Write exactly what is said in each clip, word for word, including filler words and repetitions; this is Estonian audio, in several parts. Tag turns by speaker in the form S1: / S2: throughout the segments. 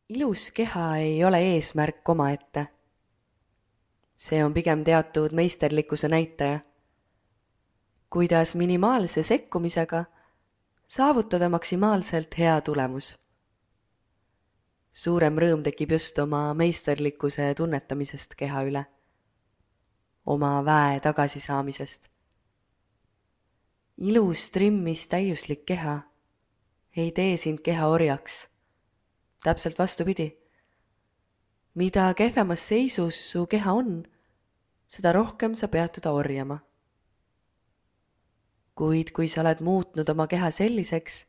S1: Ilus keha ei ole eesmärk omaette. See on pigem teatud meisterlikkuse näitaja. Kuidas minimaalse sekkumisega saavutada maksimaalselt hea tulemus. Suurem rõõm tekib just oma meisterlikkuse tunnetamisest keha üle. Oma väe tagasisaamisest. Ilus trimmis täiuslik keha ei tee sind keha orjaks. Täpselt vastupidi. Mida kehvemas seisus su keha on, seda rohkem sa pead teda orjama. Kuid kui sa oled muutnud oma keha selliseks,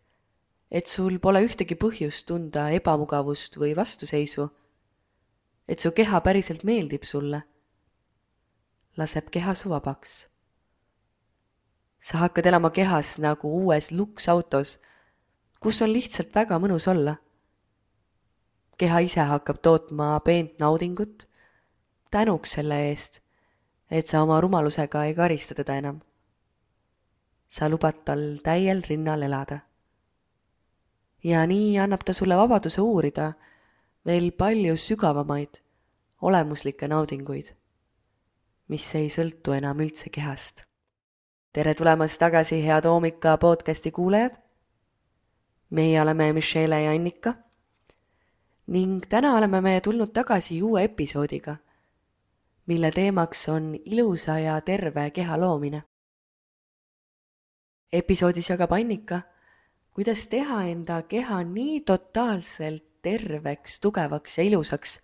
S1: et sul pole ühtegi põhjust tunda ebamugavust või vastuseisu, et su keha päriselt meeldib sulle, laseb keha su vabaks. Sa hakkad elama kehas nagu uues luksautos, kus on lihtsalt väga mõnus olla. Keha ise hakkab tootma peent naudingut, tänuks selle eest, et sa oma rumalusega ei karista teda enam. Sa lubad tal täiel rinnal elada. Ja nii annab ta sulle vabaduse uurida veel palju sügavamaid, olemuslikke naudinguid, mis ei sõltu enam üldse kehast. Tere tulemast tagasi, head Oomika podcasti kuulajad. Meie oleme Michelle ja Annika ning täna oleme me tulnud tagasi uue episoodiga, mille teemaks on ilusa ja terve keha loomine. Episoodis jagab Annika, kuidas teha enda keha nii totaalselt terveks, tugevaks ja ilusaks,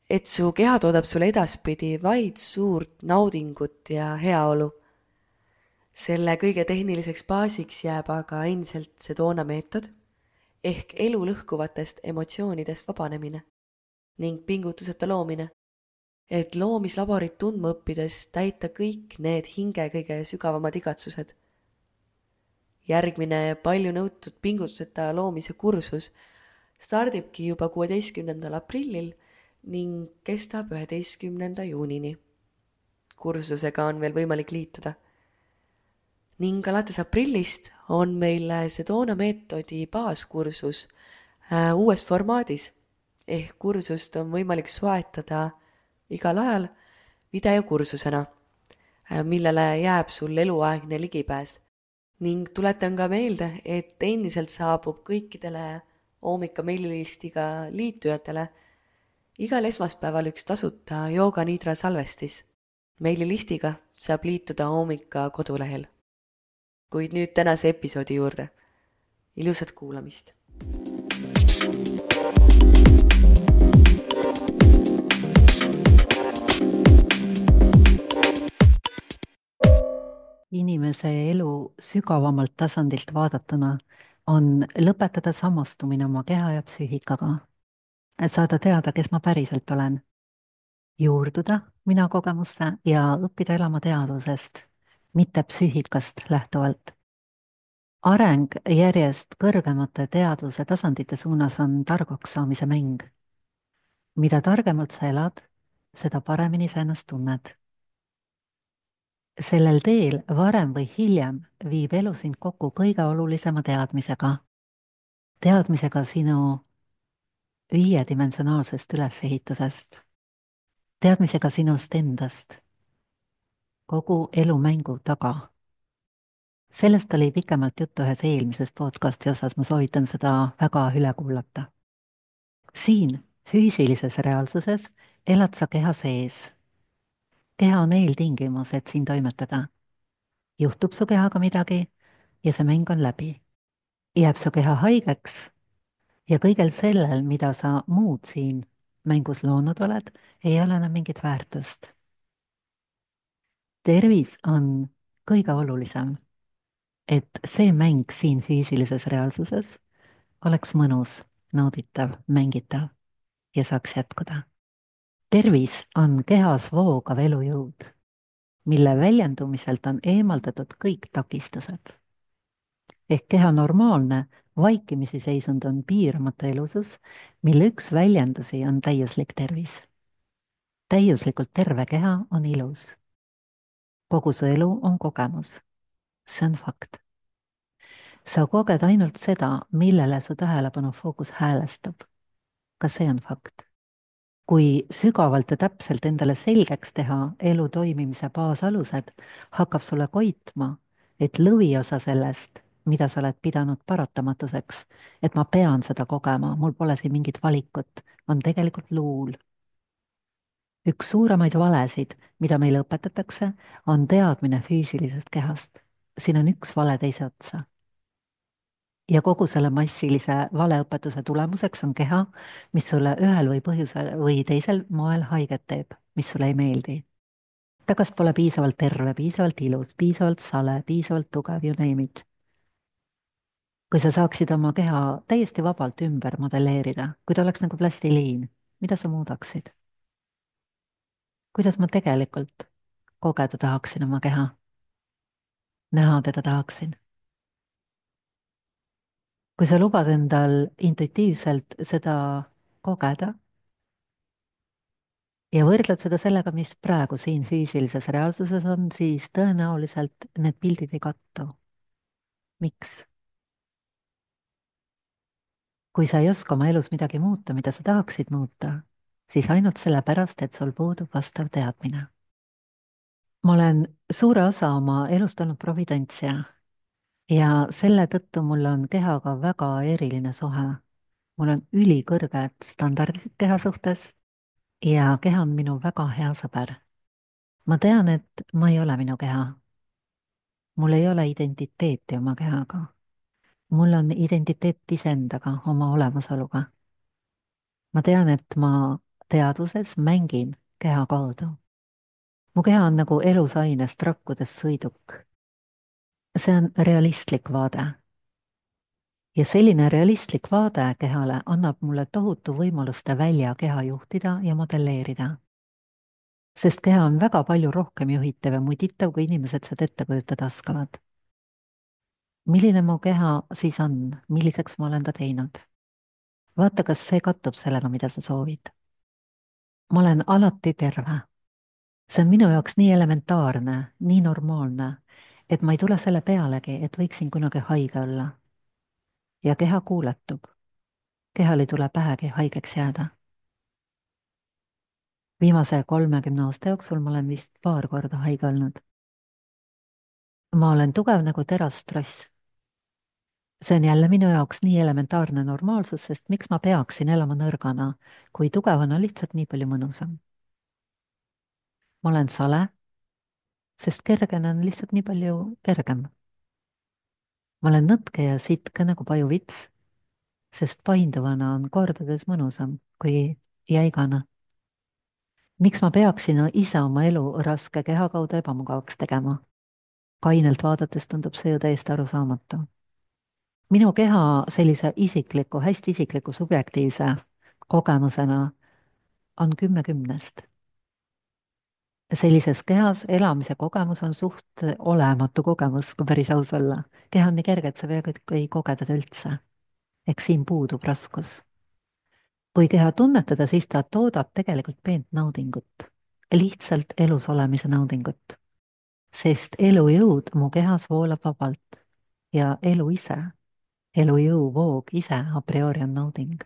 S1: et su keha toodab sulle edaspidi vaid suurt naudingut ja heaolu. Selle kõige tehniliseks baasiks jääb aga endiselt Sedona meetod, ehk elu lõhkuvatest emotsioonidest vabanemine ning pingutuseta loomine, et loomislaborit tundma õppides täita kõik need hinge kõige sügavamad igatsused. Järgmine palju nõutud pingutuseta loomise kursus stardibki juba kuueteistkümnendal aprillil ning kestab üheteistkümnenda juunini. Kursusega on veel võimalik liituda. Ning alates aprillist on meil Sedona meetodi baaskursus äh, uues formaadis, ehk kursust on võimalik soetada igal ajal videokursusena, äh, millele jääb sul eluaegne ligipääs. Ning tuletan ka meelde, et endiselt saabub kõikidele Oomika meililistiga liitujatele igal esmaspäeval üks tasuta Yoga Nidra salvestis. Meililistiga saab liituda Oomika kodulehel. Kuid nüüd tänase episoodi juurde. Ilusat kuulamist.
S2: Inimese elu sügavamalt tasandilt vaadatuna on lõpetada samastumine oma keha ja psüühikaga. Saada teada, kes ma päriselt olen. Juurduda mina kogemuste ja õppida elama teadvusest, mitte psüühikast lähtuvalt. Areng järjest kõrgemate teadvuse tasandite suunas on targaks saamise mäng. Mida targemalt sa elad, seda paremini sa ennast tunned. Sellel teel varem või hiljem viib elu sind kokku kõige olulisema teadmisega. Teadmisega sinu viiedimensionaalsest ülesehitusest. Teadmisega sinust endast. Kogu elu mängu taga. Sellest oli pikemalt juttu ühes eelmises podcasti osas, ma soovitan seda väga üle kuulata. Siin, füüsilises reaalsuses, elad sa keha sees. Keha on eeltingimus, et siin toimetada. Juhtub su kehaga midagi ja see mäng on läbi. Jääb su keha haigeks ja kõigel sellel, mida sa muud siin mängus loonud oled, ei ole enam mingit väärtust. Tervis on kõige olulisem, et see mäng siin füüsilises reaalsuses oleks mõnus, nauditav, mängitav ja saaks jätkuda. Tervis on kehas voogav elujõud, mille väljendumiselt on eemaldatud kõik takistused. Ehk keha normaalne vaikimisi seisund on piiramatu elusus, mille üks väljendusi on täiuslik tervis. Täiuslikult terve keha on ilus. Kogu su elu on kogemus. See on fakt. Sa koged ainult seda, millele su tähelepanu fookus häälestab. kas see on fakt? Kui sügavalt ja täpselt endale selgeks teha elu toimimise baasalused, hakkab sulle koitma, et lõviosa sellest, mida sa oled pidanud paratamatuseks, et ma pean seda kogema, mul pole siin mingit valikut, on tegelikult luul. Üks suuremaid valesid, mida meile õpetatakse, on teadmine füüsilisest kehast. Siin on üks vale teise otsa. Ja kogu selle massilise valeõpetuse tulemuseks on keha, mis sulle ühel või põhjusel või teisel moel haiget teeb, mis sulle ei meeldi. ta kas pole piisavalt terve, piisavalt ilus, piisavalt sale, piisavalt tugev, you name it. Kui sa saaksid oma keha täiesti vabalt ümber modelleerida, kui ta oleks nagu plastiliin, mida sa muudaksid? Kuidas ma tegelikult kogeda tahaksin oma keha? Näha teda tahaksin. Kui sa lubad endal intuitiivselt seda kogeda ja võrdled seda sellega, mis praegu siin füüsilises reaalsuses on, siis tõenäoliselt need pildid ei kattu. Miks? Kui sa ei oska oma elus midagi muuta, mida sa tahaksid muuta, siis ainult sellepärast, et sul puudub vastav teadmine. Ma olen suure osa oma elust olnud providentsija ja selle tõttu mul on kehaga väga eriline suhe. Mul on ülikõrged standardid keha suhtes ja keha on minu väga hea sõber. Ma tean, et ma ei ole minu keha. Mul ei ole identiteeti oma kehaga. Mul on identiteet iseendaga, oma olemasoluga. Ma tean, et ma teadvuses mängin keha kaudu. Mu keha on nagu elusainest rakkudes sõiduk. See on realistlik vaade. Ja selline realistlik vaade kehale annab mulle tohutu võimaluste välja keha juhtida ja modelleerida. Sest keha on väga palju rohkem juhitav ja muditav, kui inimesed seda ette kujutada oskavad. Milline mu keha siis on, milliseks ma olen ta teinud? Vaata, kas see kattub sellega, mida sa soovid. Ma olen alati terve. See on minu jaoks nii elementaarne, nii normaalne, et ma ei tule selle pealegi, et võiksin kunagi haige olla. Ja keha kuuletub. Kehal ei tule pähegi haigeks jääda. Viimase kolmekümne aasta jooksul ma olen vist paar korda haige olnud. Ma olen tugev nagu terastross. See on jälle minu jaoks nii elementaarne normaalsus, sest miks ma peaksin elama nõrgana, kui tugevana lihtsalt nii palju mõnusam. Ma olen sale, sest kergena on lihtsalt nii palju kergem. Ma olen nõtke ja sitke nagu pajuvits, sest painduvana on kordades mõnusam kui jäigana. Miks ma peaksin ise oma elu raske keha kaudu ebamugavaks tegema? Kainelt vaadates tundub see ju täiesti arusaamatu. Minu keha sellise isikliku, hästi isikliku subjektiivse kogemusena on kümme kümnest. Sellises kehas elamise kogemus on suht olematu kogemus, kui päris aus olla. Keha on nii kerge, et sa peaaegu ei koge teda üldse. Eks siin puudub raskus. Kui keha tunnetada, siis ta toodab tegelikult peent naudingut. Lihtsalt elus olemise naudingut. Sest elujõud mu kehas voolab vabalt ja elu ise, elujõu voog ise a priori on nauding.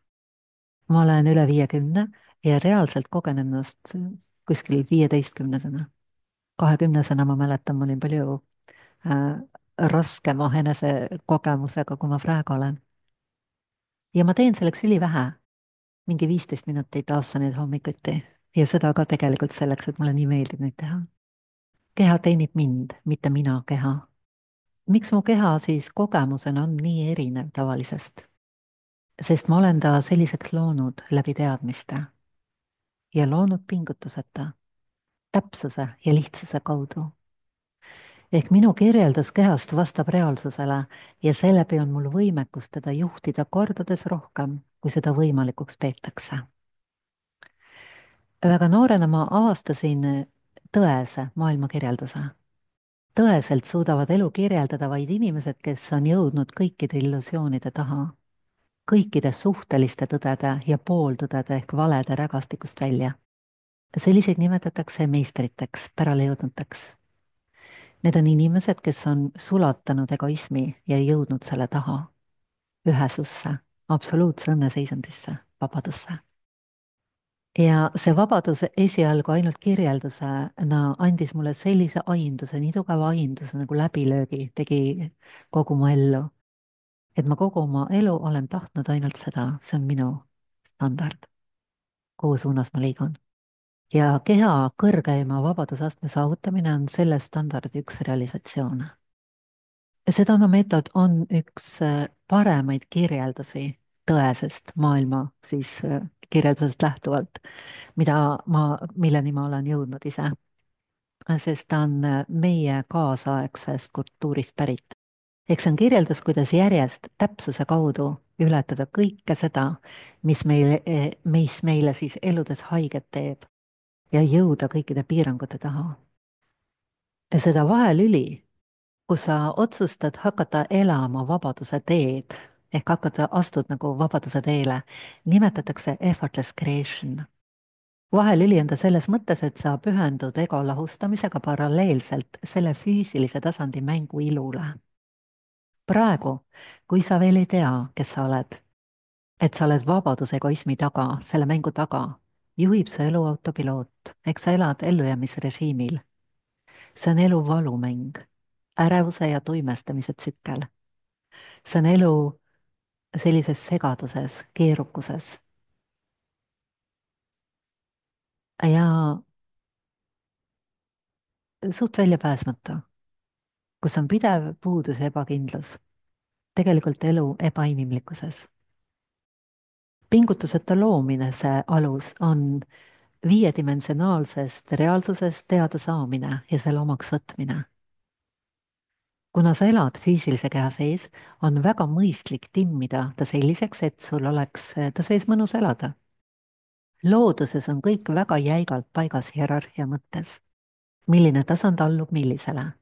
S2: Ma olen üle viiekümne ja reaalselt kogen ennast kuskil viieteistkümnesena. kahekümnesena ma mäletan, ma olin palju äh, raskema enese kogemusega, kui ma praegu olen. Ja ma teen selleks ülivähe, mingi viisteist minutit aastaneid hommikuti ja seda ka tegelikult selleks, et mulle nii meeldib neid teha. Keha teenib mind, mitte mina keha. Miks mu keha siis kogemusena on nii erinev tavalisest? Sest ma olen ta selliseks loonud läbi teadmiste ja loonud pingutuseta, täpsuse ja lihtsuse kaudu. Ehk minu kirjeldus kehast vastab reaalsusele ja seeläbi on mul võimekus teda juhtida kordades rohkem, kui seda võimalikuks peetakse. Väga noorena ma avastasin tõese maailmakirjelduse. Tõeselt suudavad elu kirjeldada vaid inimesed, kes on jõudnud kõikide illusioonide taha, kõikide suhteliste tõdede ja pooltõdede ehk valede rägastikust välja. Selliseid nimetatakse meistriteks, pärale jõudnuteks. Need on inimesed, kes on sulatanud egoismi ja jõudnud selle taha, ühesusse, absoluutse õnneseisundisse, vabadusse. ja see vabadus esialgu ainult kirjeldusena andis mulle sellise aimduse, nii tugeva aimduse nagu läbilöögi tegi kogu mu ellu, et ma kogu oma elu olen tahtnud ainult seda, see on minu standard, kuhu suunas ma liigun. ja keha kõrgeima vabadusastme saavutamine on selle standardi üks realisatsioone. Sedana meetod on üks äh, paremaid kirjeldusi tõesest maailma siis äh, kirjeldusest lähtuvalt, mida ma, milleni ma olen jõudnud ise, sest ta on äh, meie kaasaegsest kultuurist pärit. eks see on kirjeldus, kuidas järjest täpsuse kaudu ületada kõike seda, mis meile, mis meile siis eludes haiget teeb ja jõuda kõikide piirangute taha. ja seda vahelüli, kus sa otsustad hakata elama vabaduse teed, ehk hakata, astud nagu vabaduse teele, nimetatakse effortless creation. vahelüli on ta selles mõttes, et sa pühendud ego lahustamisega paralleelselt selle füüsilise tasandi mängu ilule. praegu, kui sa veel ei tea, kes sa oled, et sa oled vabaduse egoismi taga, selle mängu taga, juhib su elu autopiloot, eks sa elad ellujäämisrežiimil. see on elu valumäng, ärevuse ja tuimestamise tsükkel. see on elu sellises segaduses, keerukuses. ja suht väljapääsmata, kus on pidev puudus ja ebakindlus. tegelikult elu ebainimlikkuses. pingutuseta loomine, see alus, on viiedimensionaalsest reaalsusest teada saamine ja selle omaks võtmine. kuna sa elad füüsilise keha sees, on väga mõistlik timmida ta selliseks, et sul oleks ta sees mõnus elada. looduses on kõik väga jäigalt paigas hierarhia mõttes. milline tasand allub millisele?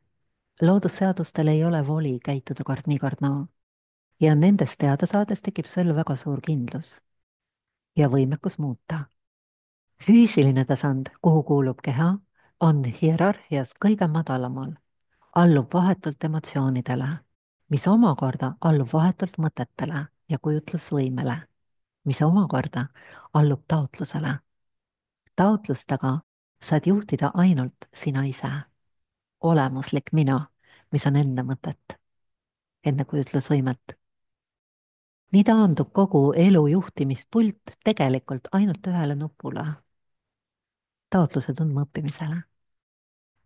S2: loodusseadustel ei ole voli käituda kord nii, kord naa. ja nendest teada saades tekib sul väga suur kindlus ja võimekus muuta. füüsiline tasand, kuhu kuulub keha, on hierarhias kõige madalamal, allub vahetult emotsioonidele, mis omakorda allub vahetult mõtetele ja kujutlusvõimele, mis omakorda allub taotlusele. taotlustega saad juhtida ainult sina ise, olemuslik mina, mis on enne mõtet, enne kujutlusvõimet. nii taandub kogu elu juhtimispult tegelikult ainult ühele nupule, taotluse tundmaõppimisele.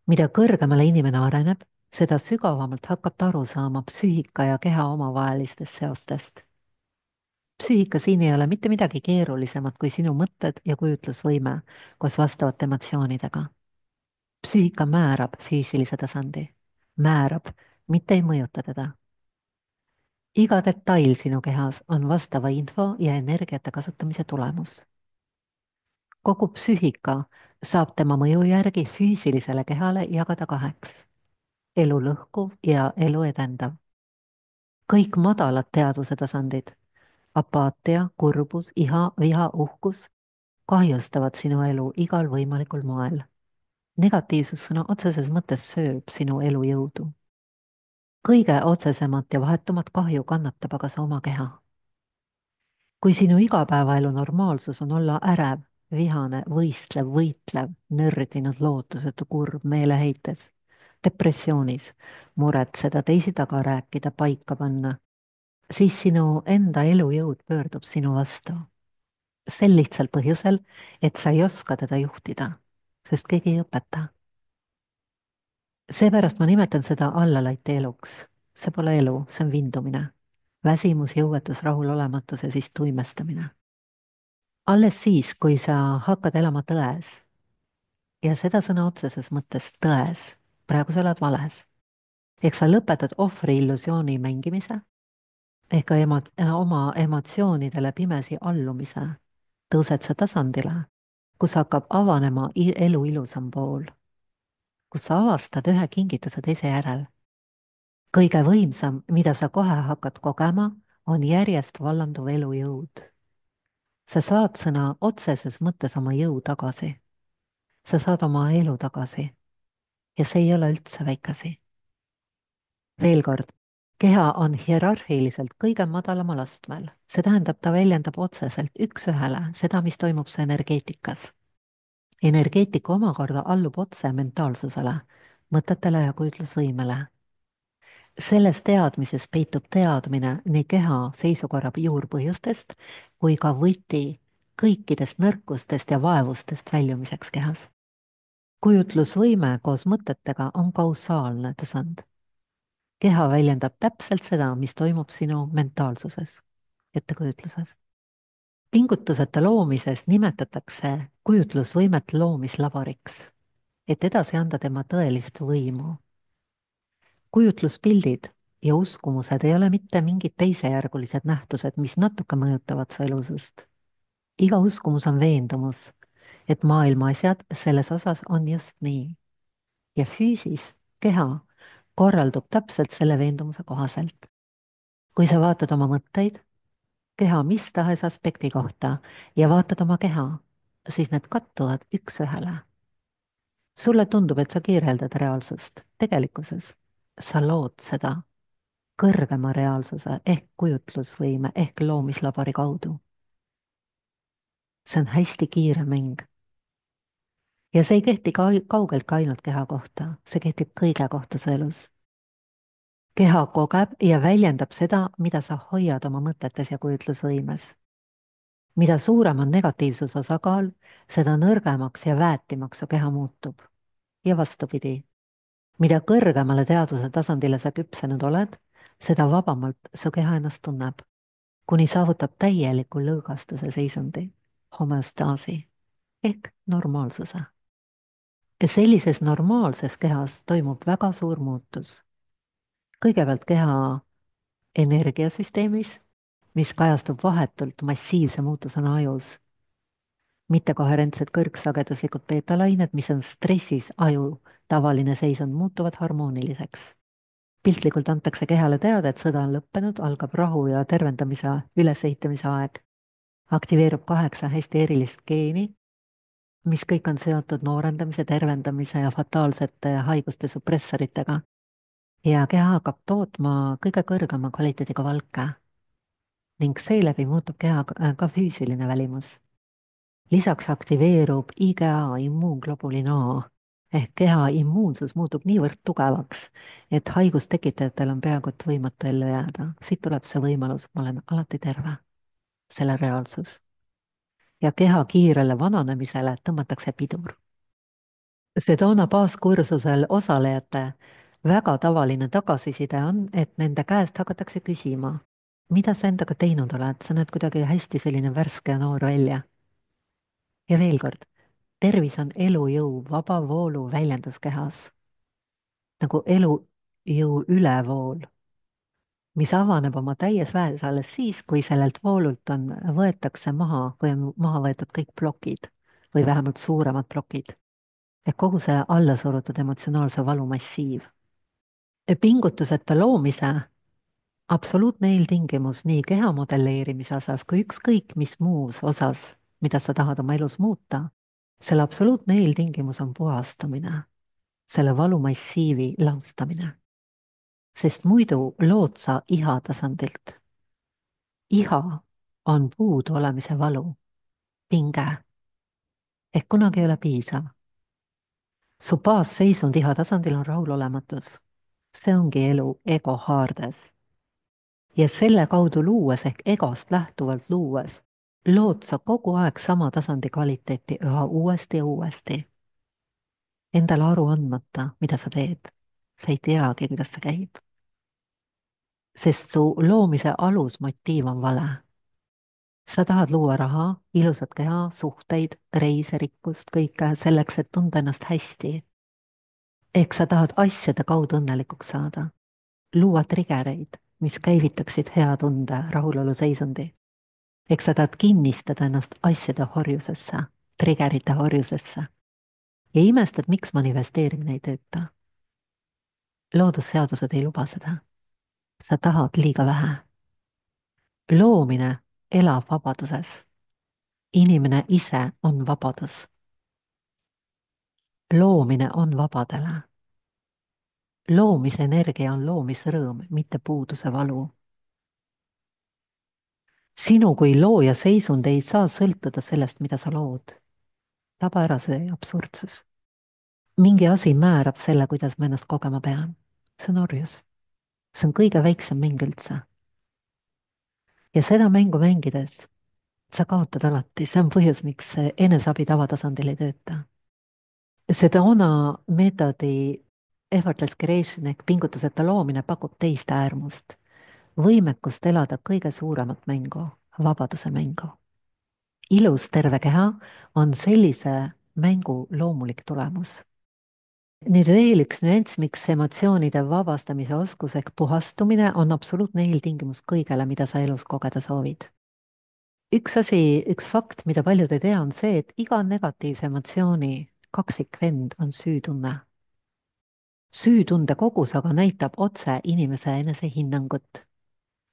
S2: mida kõrgemale inimene areneb, seda sügavamalt hakkab ta aru saama psüühika ja keha omavahelistest seostest. psüühika siin ei ole mitte midagi keerulisemat kui sinu mõtted ja kujutlusvõime koos vastavate emotsioonidega. psüühika määrab füüsilise tasandi, määrab, mitte ei mõjuta teda. iga detail sinu kehas on vastava info ja energiate kasutamise tulemus. kogu psüühika saab tema mõju järgi füüsilisele kehale jagada kaheks: elu lõhkuv ja elu edendav. kõik madalad teadvuse tasandid, apaatia, kurbus, iha, viha, uhkus, kahjustavad sinu elu igal võimalikul moel. negatiivsus sõna otseses mõttes sööb sinu elujõudu. kõige otsesemat ja vahetumat kahju kannatab aga sa oma keha. kui sinu igapäevaelu normaalsus on olla ärev, vihane, võistlev, võitlev, nördinud, lootusetu, kurb, meeleheites, depressioonis, muretseda, teisi taga rääkida, paika panna, siis sinu enda elujõud pöördub sinu vastu. sel lihtsal põhjusel, et sa ei oska teda juhtida, sest keegi ei õpeta. seepärast ma nimetan seda allalaite eluks. see pole elu, see on vindumine. väsimus, jõuetus, rahulolematus ja siis tuimestamine. alles siis, kui sa hakkad elama tões, ja seda sõna otseses mõttes tões, praegu sa elad vales, ehk sa lõpetad ohvri illusiooni mängimise, ehk ka emo oma emotsioonidele pimesi allumise, tõused sa tasandile, kus hakkab avanema elu ilusam pool, kus sa avastad ühe kingituse teise järel. kõige võimsam, mida sa kohe hakkad kogema, on järjest vallanduv elujõud. sa saad sõna otseses mõttes oma jõu tagasi. sa saad oma elu tagasi. ja see ei ole üldse väike asi. veel kord, keha on hierarhiliselt kõige madalamal astmel, see tähendab, ta väljendab otseselt üks-ühele seda, mis toimub su energeetikas. Energeetika omakorda allub otse mentaalsusele, mõtetele ja kujutlusvõimele. Selles teadmises peitub teadmine nii keha seisukorra juurpõhjustest kui ka võti kõikidest nõrkustest ja vaevustest väljumiseks kehas. Kujutlusvõime koos mõtetega on kausaalne tasand. Keha väljendab täpselt seda, mis toimub sinu mentaalsuses, ettekujutluses. Pingutuseta loomises nimetatakse kujutlusvõimet loomislaboriks, et edasi anda tema tõelist võimu. Kujutluspildid ja uskumused ei ole mitte mingid teisejärgulised nähtused, mis natuke mõjutavad su elusust. Iga uskumus on veendumus, et maailma asjad selles osas on just nii. Ja füüsis, keha, korraldub täpselt selle veendumuse kohaselt. Kui sa vaatad oma mõtteid, keha mis tahes aspekti kohta ja vaatad oma keha, siis need kattuvad üks-ühele. Sulle tundub, et sa kirjeldad reaalsust tegelikkuses. Sa lood seda kõrgema reaalsuse ehk kujutlusvõime ehk loomislabori kaudu. See on hästi kiire mäng. Ja see ei kehti ka kaugelt ka ainult keha kohta, see kehtib kõige kohta su elus. Keha kogeb ja väljendab seda, mida sa hoiad oma mõtetes ja kujutlusvõimes. Mida suurem on negatiivsus osakaal, seda nõrgemaks ja väetimaks su keha muutub. Ja vastupidi. Mida kõrgemale teaduse tasandile sa küpsenud oled, seda vabamalt su keha ennast tunneb, kuni saavutab täieliku lõõgastuse seisundi, homeostaasi ehk normaalsuse. Ja sellises normaalses kehas toimub väga suur muutus. Kõigepealt keha energiasüsteemis, mis kajastub vahetult massiivse muutusena ajus. Mittekoherentsed kõrgsageduslikud beetalained, mis on stressis aju tavaline seisund, muutuvad harmooniliseks. Piltlikult antakse kehale teada, et sõda on lõppenud, algab rahu ja tervendamise ülesehitamise aeg. Aktiveerub kaheksa hästi erilist geeni, mis kõik on seotud noorendamise, tervendamise ja fataalsete haiguste supressoritega. Ja keha hakkab tootma kõige kõrgema kvaliteediga valke ning seeläbi muutub keha ka füüsiline välimus. Lisaks aktiveerub I G A immuunglobulin A ehk keha immuunsus muutub niivõrd tugevaks, et haigustekitajatel on peaaegu et võimatu ellu jääda. Siit tuleb see võimalus, ma olen alati terve, selle reaalsus. Ja keha kiirele vananemisele tõmmatakse pidur. Sedona baaskursusel osalejate väga tavaline tagasiside on, et nende käest hakatakse küsima, mida sa endaga teinud oled, sa näed kuidagi hästi selline värske ja noor välja. Ja veel kord, tervis on elujõu vaba voolu väljendus kehas, nagu elujõu ülevool, mis avaneb oma täies väes alles siis, kui sellelt voolult on, võetakse maha või on maha võetud kõik plokid või vähemalt suuremad plokid. Et kogu see allasurutud emotsionaalse valu massiiv. Pingutuseta loomise absoluutne eeltingimus nii keha modelleerimise osas kui ükskõik mis muus osas, mida sa tahad oma elus muuta, selle absoluutne eeltingimus on puhastumine, selle valumassiivi laustamine. Sest muidu lood sa iha tasandilt. Iha on puudu olemise valu, pinge, ehk kunagi ei ole piisav. Su baasseisund iha tasandil on rahulolematus. See ongi elu ego haardes. Ja selle kaudu luues ehk egost lähtuvalt luues, lood sa kogu aeg sama tasandi kvaliteeti üha uuesti ja uuesti. Endale aru andmata, mida sa teed. Sa ei teagi, kuidas see käib. Sest su loomise alusmotiiv on vale. Sa tahad luua raha, ilusat keha, suhteid, reise, rikkust, kõike selleks, et tunda ennast hästi. Ehk sa tahad asjade kaudu õnnelikuks saada. Luua trigereid, mis käivitaksid hea tunde, rahulolu seisundi. Ehk sa tahad kinnistada ennast asjade horjusesse, trigerite horjusesse. Ja imestad, miks manifesteerimine ei tööta. Loodusseadused ei luba seda. Sa tahad liiga vähe. Loomine elab vabaduses. Inimene ise on vabadus. Loomine on vabadele. loomise energia on loomisrõõm, mitte puuduse valu. Sinu kui looja seisund ei saa sõltuda sellest, mida sa lood. Taba ära see absurdsus. Mingi asi määrab selle, kuidas ma ennast kogema pean. See on orjus. See on kõige väiksem mäng üldse. Ja seda mängu mängides sa kaotad alati, see on põhjus, miks eneseabi tavatasandil ei tööta. Sedona meetodi effortless creation ehk pingutuseta loomine pakub teist äärmust, võimekust elada kõige suuremat mängu, vabaduse mängu. Ilus terve keha on sellise mängu loomulik tulemus. Nüüd veel üks nüanss, miks emotsioonide vabastamise oskus ehk puhastumine on absoluutne eeltingimus kõigele, mida sa elus kogeda soovid. Üks asi, üks fakt, mida paljud ei tea, on see, et iga negatiivse emotsiooni kaksikvend on süütunne. Süütunde kogus aga näitab otse inimese enesehinnangut.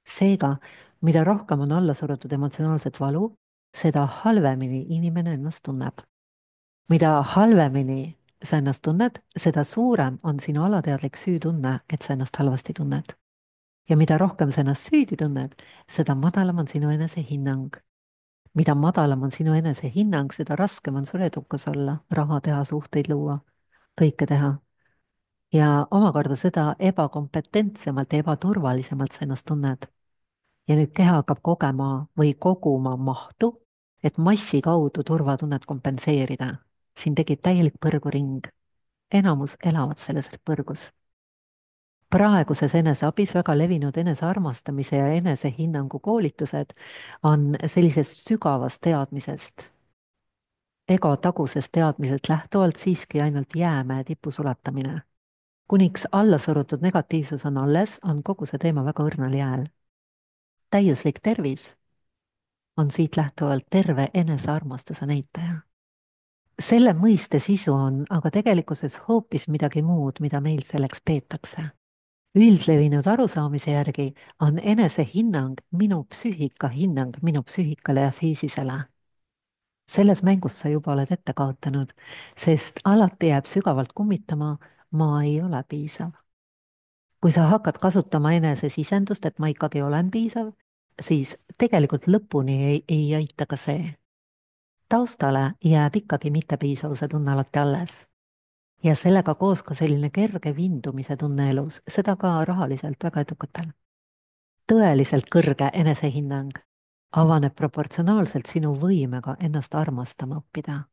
S2: Seega, mida rohkem on alla surutud emotsionaalset valu, seda halvemini inimene ennast tunneb. Mida halvemini sa ennast tunned, seda suurem on sinu alateadlik süütunne, et sa ennast halvasti tunned. Ja mida rohkem sa ennast süüdi tunned, seda madalam on sinu enesehinnang. Mida madalam on sinu enesehinnang, seda raskem on sul edukas olla, raha teha, suhteid luua, kõike teha. Ja omakorda seda ebakompetentsemalt ja ebaturvalisemalt sa ennast tunned. Ja nüüd keha hakkab kogema või koguma mahtu, et massi kaudu turvatunnet kompenseerida. Siin tekib täielik põrguring. Enamus elavad selles põrgus. Praeguses eneseabis väga levinud enesearmastamise ja enesehinnangu koolitused on sellisest sügavast teadmisest, ego tagusest teadmisest lähtuvalt siiski ainult jäämäe tipu sulatamine. Kuniks alla surutud negatiivsus on alles, on kogu see teema väga õrnal jääl. Täiuslik tervis on siit lähtuvalt terve enesearmastuse näitaja. Selle mõiste sisu on aga tegelikkuses hoopis midagi muud, mida meil selleks peetakse. Üldlevinud arusaamise järgi on enesehinnang minu psüühika hinnang minu psüühikale ja fiisisele. Selles mängus sa juba oled ette kaotanud, sest alati jääb sügavalt kummitama, ma ei ole piisav. Kui sa hakkad kasutama enesesisendust, et ma ikkagi olen piisav, siis tegelikult lõpuni ei, ei aita ka see. Taustale jääb ikkagi mittepiisavuse tunne alati alles. Ja sellega koos ka selline kerge vindumise tunne elus, seda ka rahaliselt väga edukatel. Tõeliselt kõrge enesehinnang avaneb proportsionaalselt sinu võimega ennast armastama õppida.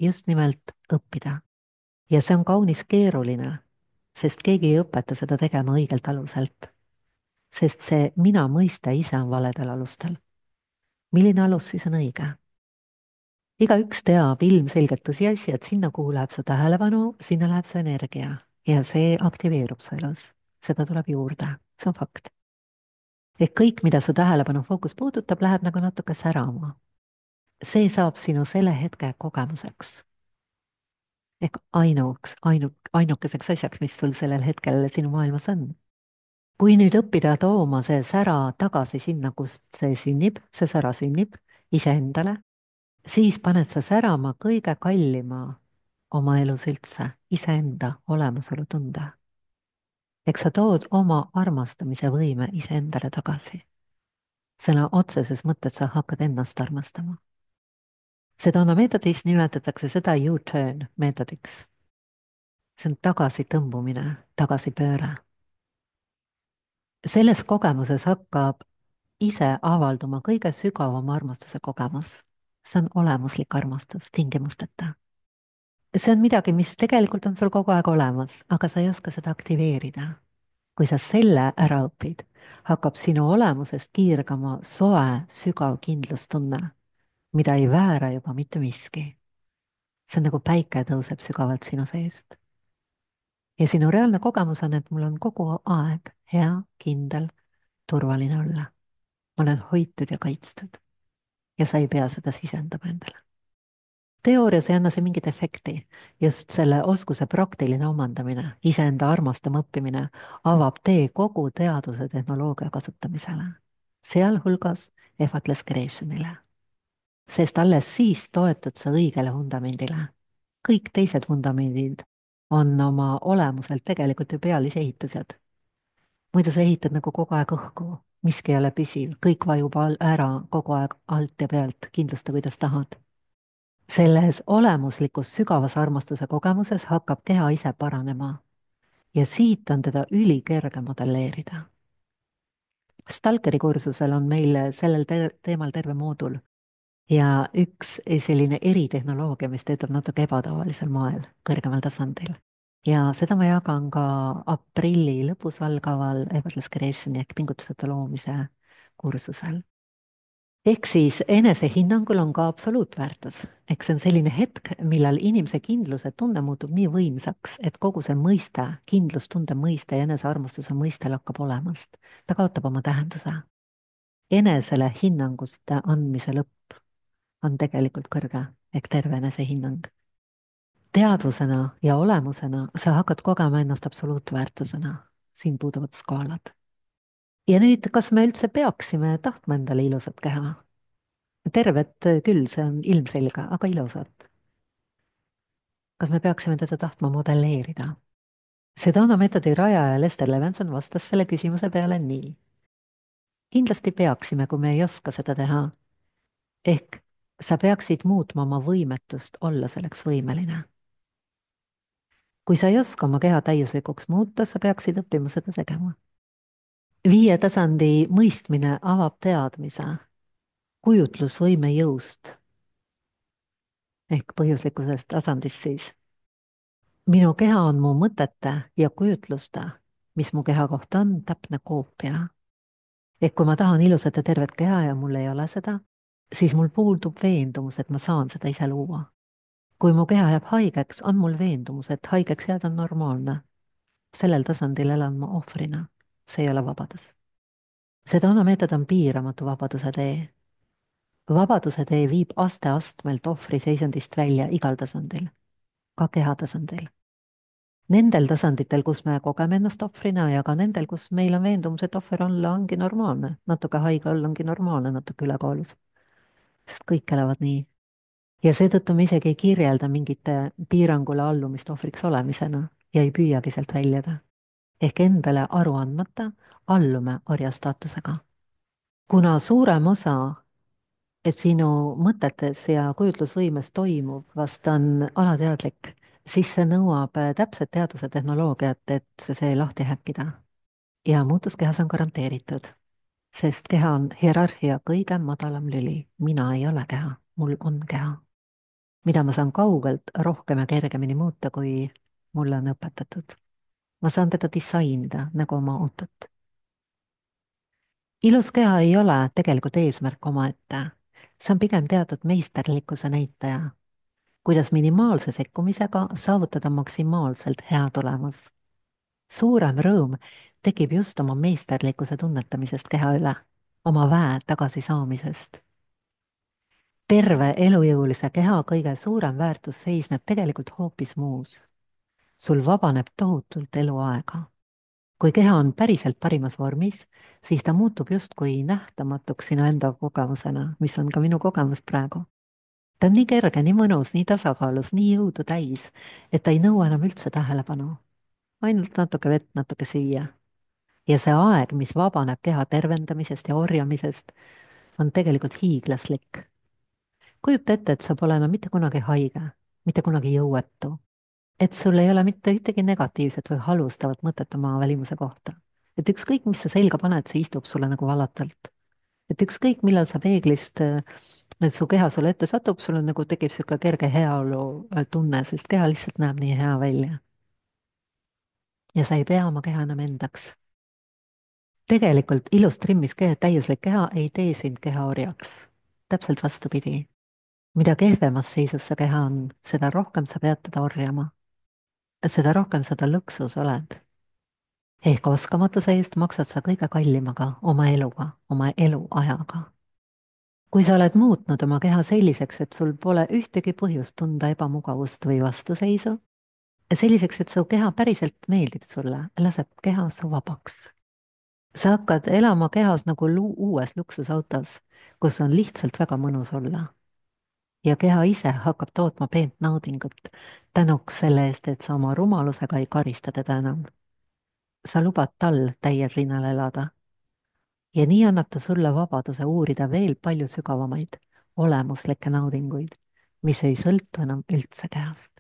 S2: Just nimelt õppida. Ja see on kaunis keeruline, sest keegi ei õpeta seda tegema õigelt aluselt. Sest see mina mõiste ise on valedel alustel. Milline alus siis on õige? Igaüks teab ilmselgelt tõsiasja, et sinna, kuhu läheb su tähelepanu, sinna läheb su energia ja see aktiveerub su elus. Seda tuleb juurde, see on fakt. Ehk kõik, mida su tähelepanu fookus puudutab, läheb nagu natuke särama. See saab sinu selle hetke kogemuseks. Ehk ainuks, ainuk, ainukeseks asjaks, mis sul sellel hetkel sinu maailmas on. Kui nüüd õppida tooma see sära tagasi sinna, kust see sünnib, see sära sünnib iseendale, siis paned sa särama kõige kallima oma elus üldse, iseenda olemasolu tunde. Eks sa tood oma armastamise võime iseendale tagasi. Sõna otseses mõttes sa hakkad ennast armastama. Sedona meetodis nimetatakse seda U-turn meetodiks. See on tagasitõmbumine, tagasipööre. Selles kogemuses hakkab ise avalduma kõige sügavam armastuse kogemus. See on olemuslik armastus, tingimusteta. See on midagi, mis tegelikult on sul kogu aeg olemas, aga sa ei oska seda aktiveerida. Kui sa selle ära õpid, hakkab sinu olemusest kiirgama soe, sügav kindlustunne, mida ei väära juba mitte miski. See on nagu päike tõuseb sügavalt sinu seest. Ja sinu reaalne kogemus on, et mul on kogu aeg hea, kindel, turvaline olla. Ma olen hoitud ja kaitstud. Ja sa ei pea seda sisendama endale. Teoorias ei anna see mingit efekti. Just selle oskuse praktiline omandamine, iseenda armastama õppimine avab tee kogu teaduse tehnoloogia kasutamisele. Sealhulgas effortless creationile. Sest alles siis toetud sa õigele vundamendile. Kõik teised vundamendid on oma olemuselt tegelikult ju pealisehitused. muidu sa ehitad nagu kogu aeg õhku, miski ei ole püsiv, kõik vajub al- ära kogu aeg alt ja pealt, kindlusta, kuidas tahad. selles olemuslikus sügavas armastuse kogemuses hakkab keha ise paranema ja siit on teda ülikerge modelleerida. Stalkeri kursusel on meil sellel te teemal terve moodul ja üks selline eritehnoloogia, mis töötab natuke ebatavalisel moel, kõrgemal tasandil. ja seda ma jagan ka aprilli lõpus algaval Effortless Creationi ehk pingutuseta loomise kursusel. ehk siis enesehinnangul on ka absoluutväärtus, eks see on selline hetk, millal inimese kindluse tunne muutub nii võimsaks, et kogu see mõiste, kindlustunde mõiste ja enesearmastuse mõiste lakkab olemast. ta kaotab oma tähenduse. enesele hinnanguste andmise lõpp on tegelikult kõrge ehk terve enesehinnang. teadvusena ja olemusena sa hakkad kogema ennast absoluutväärtusena. siin puuduvad skaalad. ja nüüd, kas me üldse peaksime tahtma endale ilusat keha? tervet küll, see on ilmselge, aga ilusat. kas me peaksime teda tahtma modelleerida? Sedona meetodi rajaja Lester Levenson vastas selle küsimuse peale nii. kindlasti peaksime, kui me ei oska seda teha. ehk sa peaksid muutma oma võimetust olla selleks võimeline. kui sa ei oska oma keha täiuslikuks muuta, sa peaksid õppima seda tegema. viie tasandi mõistmine avab teadmise kujutlusvõime jõust ehk põhjuslikkusest tasandist siis. minu keha on mu mõtete ja kujutluste, mis mu keha kohta on, täpne koopia. ehk kui ma tahan ilusat ja tervet keha ja mul ei ole seda, siis mul puudub veendumus, et ma saan seda ise luua. kui mu keha jääb haigeks, on mul veendumus, et haigeks jääda on normaalne. sellel tasandil elan ma ohvrina. see ei ole vabadus. Sedona meetod on piiramatu vabaduse tee. vabaduse tee viib aste-astmelt ohvri seisundist välja igal tasandil, ka keha tasandil. Nendel tasanditel, kus me kogeme ennast ohvrina ja ka nendel, kus meil on veendumus, et ohver olla ongi normaalne, natuke haige olla ongi normaalne, natuke ülekaalus. sest kõik elavad nii. ja seetõttu me isegi ei kirjelda mingite piirangule allumist ohvriks olemisena ja ei püüagi sealt väljuda. ehk endale aru andmata allume orja staatusega. kuna suurem osa et sinu mõtetes ja kujutlusvõimes toimub vast on alateadlik, siis see nõuab täpset teaduse tehnoloogiat, et see lahti häkkida. ja muutus kehas on garanteeritud, sest keha on hierarhia kõige madalam lüli. mina ei ole keha, mul on keha, mida ma saan kaugelt rohkem ja kergemini muuta, kui mulle on õpetatud. ma saan teda disainida nagu oma autot. ilus keha ei ole tegelikult eesmärk omaette. see on pigem teatud meisterlikkuse näitaja, kuidas minimaalse sekkumisega saavutada maksimaalselt hea tulemus. suurem rõõm tekib just oma meisterlikkuse tunnetamisest keha üle, oma väe tagasisaamisest. terve elujõulise keha kõige suurem väärtus seisneb tegelikult hoopis muus. sul vabaneb tohutult eluaega. kui keha on päriselt parimas vormis, siis ta muutub justkui nähtamatuks sinu enda kogemusena, mis on ka minu kogemus praegu. ta on nii kerge, nii mõnus, nii tasakaalus, nii jõudu täis, et ta ei nõua enam üldse tähelepanu. ainult natuke vett, natuke süüa. ja see aeg, mis vabaneb keha tervendamisest ja orjamisest, on tegelikult hiiglaslik. kujuta ette, et sa pole enam mitte kunagi haige, mitte kunagi jõuetu. et sul ei ole mitte ühtegi negatiivset või halvustavat mõtet oma välimuse kohta. et ükskõik, mis sa selga paned, see istub sulle nagu valatult. et ükskõik, millal sa peeglist, et su keha sulle ette satub, sul on nagu tekib sihuke kerge heaolu tunne, sest keha lihtsalt näeb nii hea välja. ja sa ei pea oma keha enam endaks. tegelikult ilus trimmis keha, täiuslik keha ei tee sind keha orjaks. täpselt vastupidi. mida kehvemas seisus see keha on, seda rohkem sa pead teda orjama. seda rohkem sa ta lõksus oled. ehk oskamatuse eest maksad sa kõige kallimaga, oma eluga, oma eluajaga. kui sa oled muutnud oma keha selliseks, et sul pole ühtegi põhjust tunda ebamugavust või vastuseisu, selliseks, et su keha päriselt meeldib sulle, laseb keha su vabaks. sa hakkad elama kehas nagu lu uues luksusautos, kus on lihtsalt väga mõnus olla. ja keha ise hakkab tootma peent naudingut tänuks selle eest, et sa oma rumalusega ei karista teda enam. sa lubad tal täiel rinnal elada. ja nii annab ta sulle vabaduse uurida veel palju sügavamaid olemuslikke naudinguid, mis ei sõltu enam üldse kehast.